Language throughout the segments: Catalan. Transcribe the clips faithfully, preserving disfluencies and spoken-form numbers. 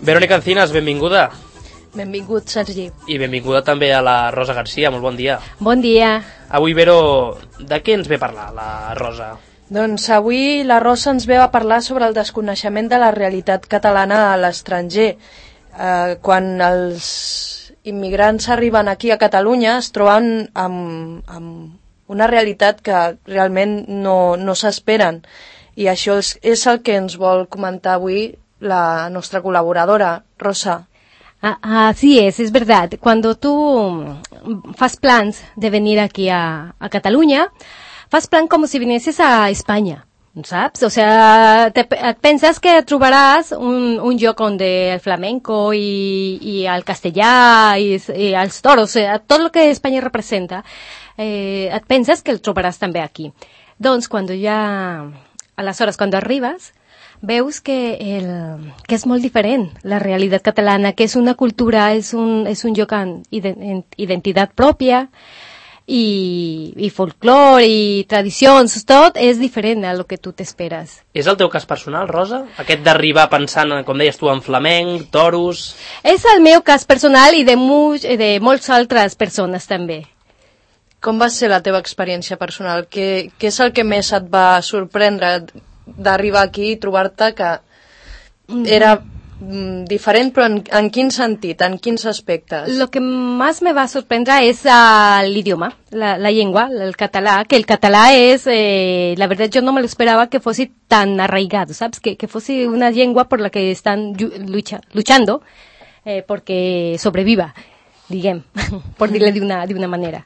Verónica Encinas, benvinguda. Benvingut, Sergi. I benvinguda també a la Rosa Garcia, molt bon dia. Bon dia. Avui, Vero, de què ens ve a parlar la Rosa? Doncs avui la Rosa ens ve a parlar sobre el desconeixement de la realitat catalana a l'estranger. Eh, quan els immigrants arriben aquí a Catalunya es troben amb, amb una realitat que realment no, no s'esperen. I això és, és el que ens vol comentar avui la nostra colaboradora, Rosa. Ah, así es, es verdad. Cuando tú fas plans de venir aquí a, a Cataluña, fas plan como si vinieses a España, saps? O sea, te, et penses que trobaràs un, un lloc on el flamenco i, i el castellà i, i els toros, o sea, tot el que Espanya representa, eh, et penses que el trobaràs també aquí. Doncs, quan ja, aleshores, quan arribes, veus que, el, que és molt diferent la realitat catalana, que és una cultura, és un, és un lloc amb identitat pròpia i, i folclore i tradicions, tot és diferent a lo que tu t'esperes. És el teu cas personal, Rosa? Aquest d'arribar pensant, com deies tu, en flamenc, toros... És el meu cas personal i de, mu de moltes altres persones també. Com va ser la teva experiència personal? Què, què és el que més et va sorprendre d'arribar aquí i trobar-te que era mm, diferent, però en, en quin sentit, en quins aspectes? Lo que más me va a sorprender es uh, el idioma, la, la lengua, el català, que el català es, eh, la verdad yo no me lo esperaba que fuese tan arraigado, ¿sabes? Que, que fuese una lengua por la que están lucha, luchando eh, porque sobreviva, diguem, por dir-le d'una d'una manera.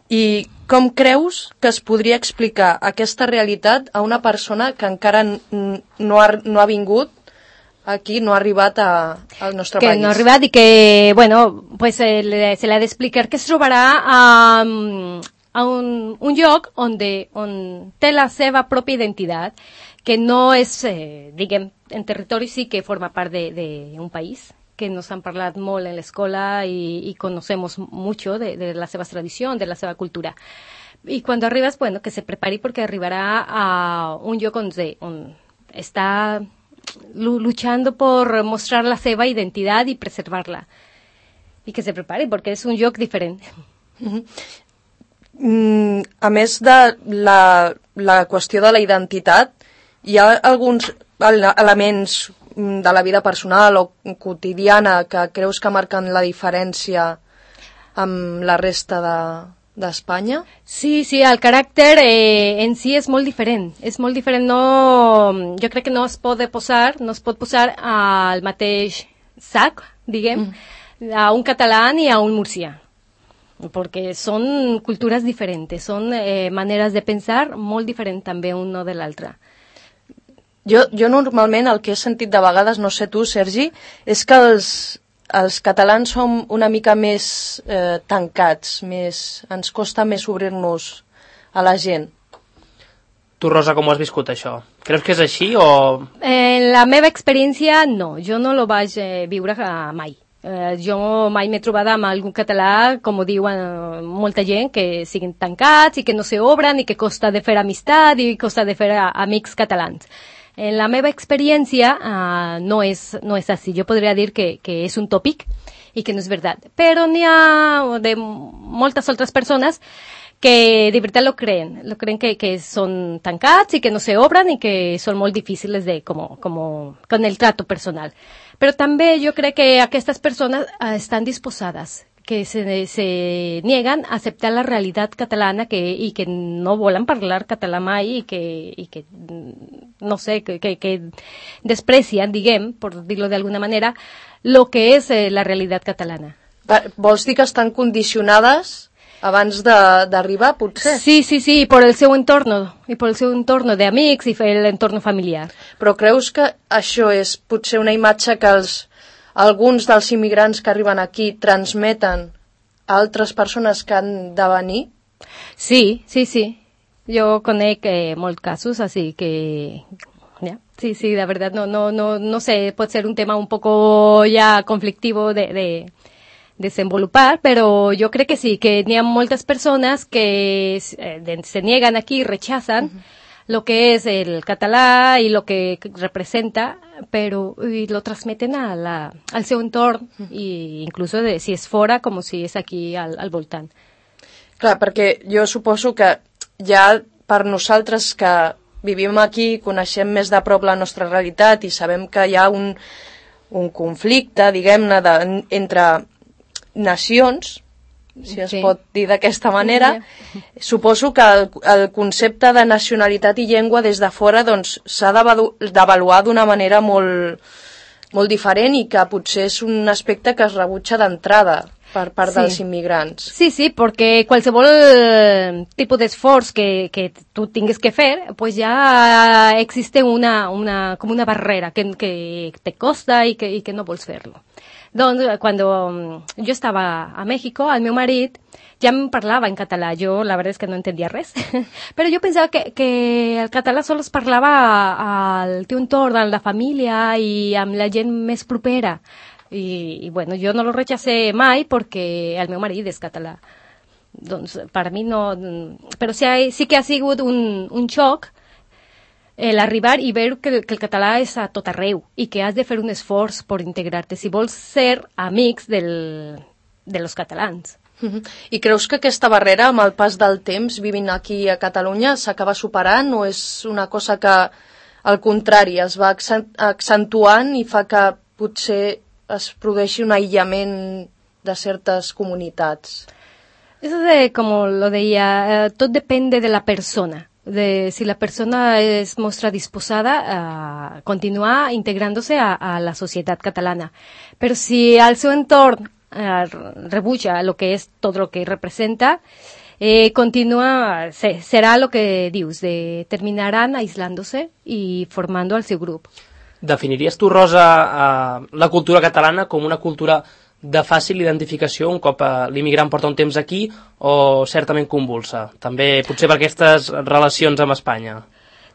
I com creus que es podria explicar aquesta realitat a una persona que encara no ha, no ha vingut aquí, no ha arribat a, al nostre que país? Que no ha arribat i que, bueno, pues eh, le, se l'ha d'explicar que es trobarà a, a un, un lloc on, de, on té la seva pròpia identitat, que no és, eh, diguem, en territori sí que forma part d'un país, que nos han parlat molt en l'escola y, y conocemos mucho de, de la seva tradició, de la seva cultura. Y cuando arribas, bueno, que se prepari porque arribará a un lloc on, on está luchando por mostrar la seva identitat y preservarla. Y que se prepari porque es un lloc diferent. Mm, a més de la, la qüestió de la identitat, hi ha alguns elements de la vida personal o quotidiana que creus que marquen la diferència amb la resta de, d'Espanya? Sí, sí, el caràcter eh, en si és molt diferent. És molt diferent, no... Jo crec que no es pot posar, no es pot posar al mateix sac, diguem, mm. a un català ni a un murcià. Perquè són cultures diferents, són eh, maneres de pensar molt diferents també uno de l'altre. Jo, jo normalment el que he sentit de vegades, no sé tu, Sergi, és que els, els catalans som una mica més eh, tancats, més, ens costa més obrir-nos a la gent. Tu, Rosa, com ho has viscut, això? Creus que és així o...? En la meva experiència, no. Jo no lo vaig eh, viure mai. Eh, jo mai m'he trobat amb algun català, com ho diuen eh, molta gent, que siguin tancats i que no s'obren i que costa de fer amistat i costa de fer amics catalans. En la meva experiència uh, no, és, no és així. Jo podria dir que, que és un tòpic i que no és veritat. Però n'hi ha de moltes altres persones que de veritat lo creen. Lo creen que, que són tancats i que no se obren i que són molt difícils de, como, como, con el trato personal. Però també jo crec que aquestes persones uh, estan disposades, que se, se niegan a aceptar la realitat catalana que, i que no volen parlar català mai i que, i que no sé, que, que, que desprecien, diguem, per dir-lo d'alguna manera, lo que és eh, la realitat catalana. Vols dir que estan condicionades abans d'arribar, potser? Sí, sí, sí, i per el seu entorn, i per el seu entorn d'amics i l'entorn familiar. Però creus que això és potser una imatge que els alguns dels immigrants que arriben aquí transmeten a altres persones que han de venir? Sí, sí, sí. Jo conec eh, molts casos, así que... Yeah. Sí, sí, la verdad, no, no, no, no sé, pot ser un tema un poco ya conflictivo de, de desenvolupar, pero yo creo que sí, que hi ha moltes persones que eh, se niegan aquí, rechazan uh-huh. lo que es el català i lo que representa, però i lo transmeten a la, al seu entorn, i incluso de, si és fora com si és aquí al, al voltant. Clar, perquè jo suposo que ja per nosaltres que vivim aquí, coneixem més de prop la nostra realitat i sabem que hi ha un, un conflicte, diguem-ne, de, entre nacions, si es sí. pot dir d'aquesta manera, sí. Suposo que el, el concepte de nacionalitat i llengua des de fora doncs, s'ha d'avaluar d'una manera molt, molt diferent i que potser és un aspecte que es rebutja d'entrada per part sí. dels immigrants. Sí, sí, perquè qualsevol tipus d'esforç que, que tu tingues que fer, pues ja existe una, una, com una barrera que, que te costa i que, i que no vols fer-lo. Doncs, quan jo estava a México, el meu marit ja em parlava en català. Jo, la veritat és que no entendia res, però jo pensava que, que el català sols es parlava al teu entorn, amb la família i amb la gent més propera. I, i bueno, jo no lo rechacé mai perquè el meu marit és català. Doncs per mi no... Però sí, sí que ha sigut un, un xoc l'arribar i veure que, que el català és a tot arreu i que has de fer un esforç per integrar-te si vols ser amics del, de los catalans. Uh-huh. I creus que aquesta barrera, amb el pas del temps, vivint aquí a Catalunya, s'acaba superant o és una cosa que, al contrari, es va accentuant i fa que potser es produeixi un aïllament de certes comunitats? Eso de, como lo deia, eh, tot depèn de la persona. De si la persona es mostra disposada a continuar integrándose a, a la societat catalana. Però si al seu entorn eh, rebutja lo que és tot lo que representa, eh, continua, se, serà lo que dius, de terminaran aislándose y formando al seu grup. Definiries tu, Rosa, eh, la cultura catalana com una cultura de fàcil identificació un cop eh, l'immigrant porta un temps aquí o certament convulsa? També potser per aquestes relacions amb Espanya.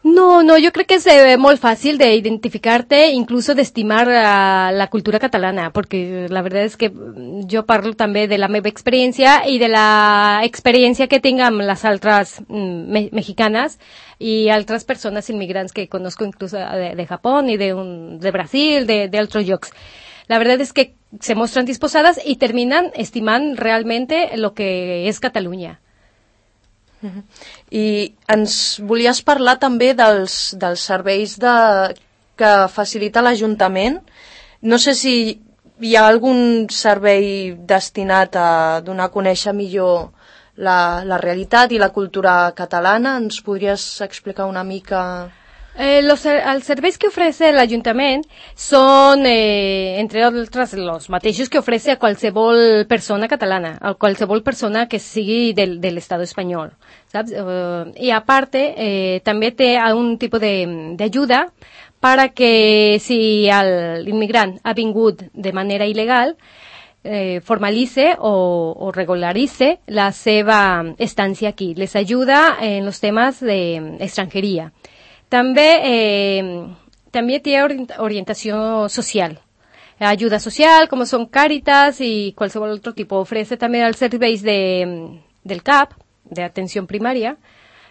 No, no, yo creo que es eh, muy fácil de identificarte, incluso de estimar uh, la cultura catalana, porque la verdad es que yo parlo també de la meva experiència i de la experiència que tinc amb les altres mm, me mexicanes y altres persones inmigrants que conozco incluso de, de Japón y de, un, de Brasil, de, de otros llocs. La verdad es que se mostran disposadas y terminan estimant realmente lo que és Catalunya. Uh-huh. I ens volies parlar també dels, dels serveis de, que facilita l'Ajuntament. No sé si hi ha algun servei destinat a donar a conèixer millor la, la realitat i la cultura catalana. Ens podries explicar una mica... Eh, los, els serveis que ofrece el Ayuntament són, eh, entre altres, los mateixos que ofrece a qualsevol persona catalana, a qualsevol persona que sigui del, de l'estat espanyol, saps? Uh, I a parte, eh, també té un tipus d'ajuda para que si l'immigrant ha vingut de manera il·legal, eh, formalice o, o regularice la seva estància aquí. Les ajuda en los temas de extranjería. També, eh, també té orientació social, ajuda social, com són Càritas i qualsevol altre tipus. Ofrece també els serveis de, del C A P, d'atenció primària,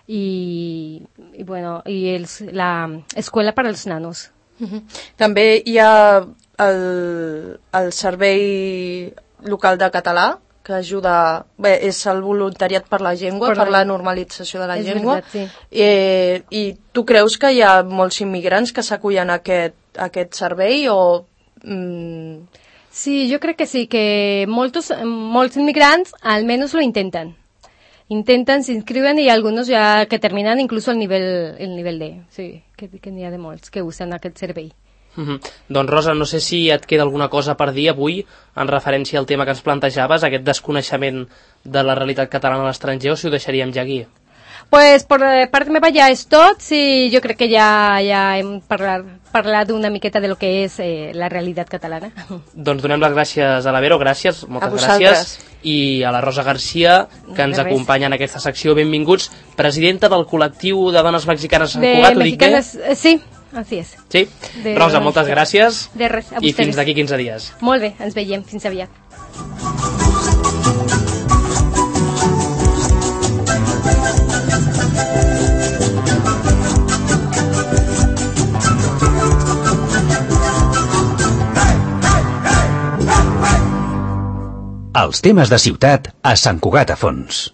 i, i, bueno, i els, la escola per als nanos. Uh-huh. També hi ha el, el servei local de català, que ajuda, bé, és el voluntariat per la llengua, per, per la normalització de la llengua. Veritat, sí. eh, I tu creus que hi ha molts immigrants que s'acullen a aquest, a aquest servei o... Mm... Sí, jo crec que sí, que molts, molts immigrants almenys lo intenten. Intenten, s'inscriuen i alguns ja que terminen inclús el nivell, el nivell D. Sí, que, que n'hi ha de molts que usen aquest servei. Mm-hmm. Doncs Rosa, no sé si et queda alguna cosa per dir avui en referència al tema que ens plantejaves, aquest desconeixement de la realitat catalana a l'estranger, o si ho deixaríem ja aquí? Pues per part meva ja és tot, sí, jo crec que ja, ja hem parlat, parlat una miqueta de lo que és eh, la realitat catalana. Doncs donem les gràcies a la Vero, gràcies, moltes gràcies, i a la Rosa Garcia, que ens acompanya en aquesta secció. Benvinguts, presidenta del col·lectiu de dones mexicanes a Sant Cugat, ho dic bé? Sí. Así és. Sí? De Rosa, moltes gràcies. De res, a I fins d'aquí quinze dies. Molt bé, ens veiem. Fins aviat. Els temes de ciutat a Sant Cugat a Fons.